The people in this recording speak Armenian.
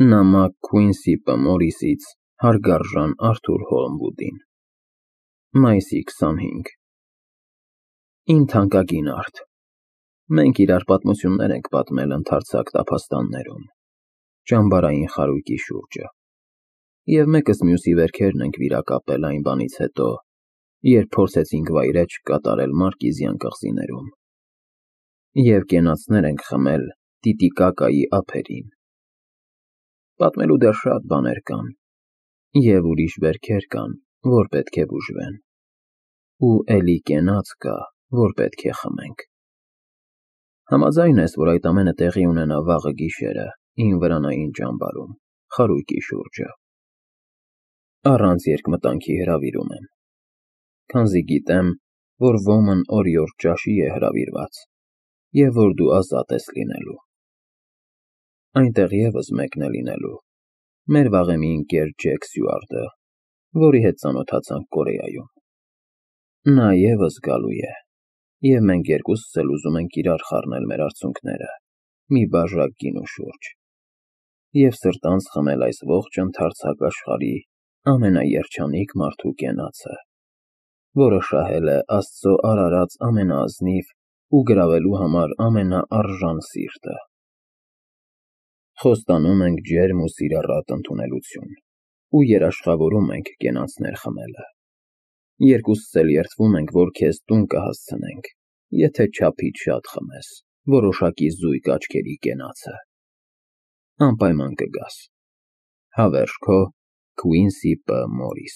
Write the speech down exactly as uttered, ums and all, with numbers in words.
Նամակ Քուինսի Պ. Մորիսից հարգարժան Արթուր Հոլմվուդին Մայիսի քսանհինգ Իմ թանկագին Արթ, մենք իրար պատմություններ ենք պատմել ընդարձակ տափաստաններում, ճամբարային խարույկի շուրջը, և մեկս մյուսի վերքերն ենք վիրակապել այն բանից հետո, երբ փորձեցինք վայրէջք կատարել Մարկիզյան կղզիներում, և կենացներ ենք խմել Տիտիկակայի ափերին։ Պատմելու դեռ շատ բաներ կան, և ուրիշ վերքեր կան, որ պետք է բուժվեն, ու էլի կենաց կա, որ պետք է խմենք։ Համաձայն ես, որ այդ ամենը տեղի ունենա վաղը գիշերը իմ վրանային ճամբարում, խարույկի շուրջը։ Առանց երկմտանքի հրավիրում եմ, քանզի գիտեմ, որ ոմն օրիորդ ճաշի է հրավիրված, և որ դու ազատ ես լինելու։ Այնտեղ ևս մեկն է լինելու, մեր վաղեմի ընկեր Ջեք Սյուարտը, որի հետ ծանոթացանք Կորեայում։ Նա ևս գալու է, և մենք երկուսս էլ ուզում ենք իրար խառնել մեր արցունքները մի բաժակ գինու շուրջ և սրտանց խմել այս ողջ ընդարձակ աշխարհի ամենաերջանիկ մարդու կենացը, որը շահել է Աստծո արարած ամենաազնիվ ու գրավելու համար ամենաարժան սիրտը։ Խոստանում ենք ջերմ ու սիրառատ ընդունելություն ու երաշխավորում ենք կենացներ խմելը։ Երկուսս էլ երդվում ենք, որ քեզ տուն կհասցնենք, եթե չափից շատ խմես որոշակի զույգ աչքերի կենացը։ Անպայման կգաս։ Հավերժ քո Քուինսի Պ. Մորիս։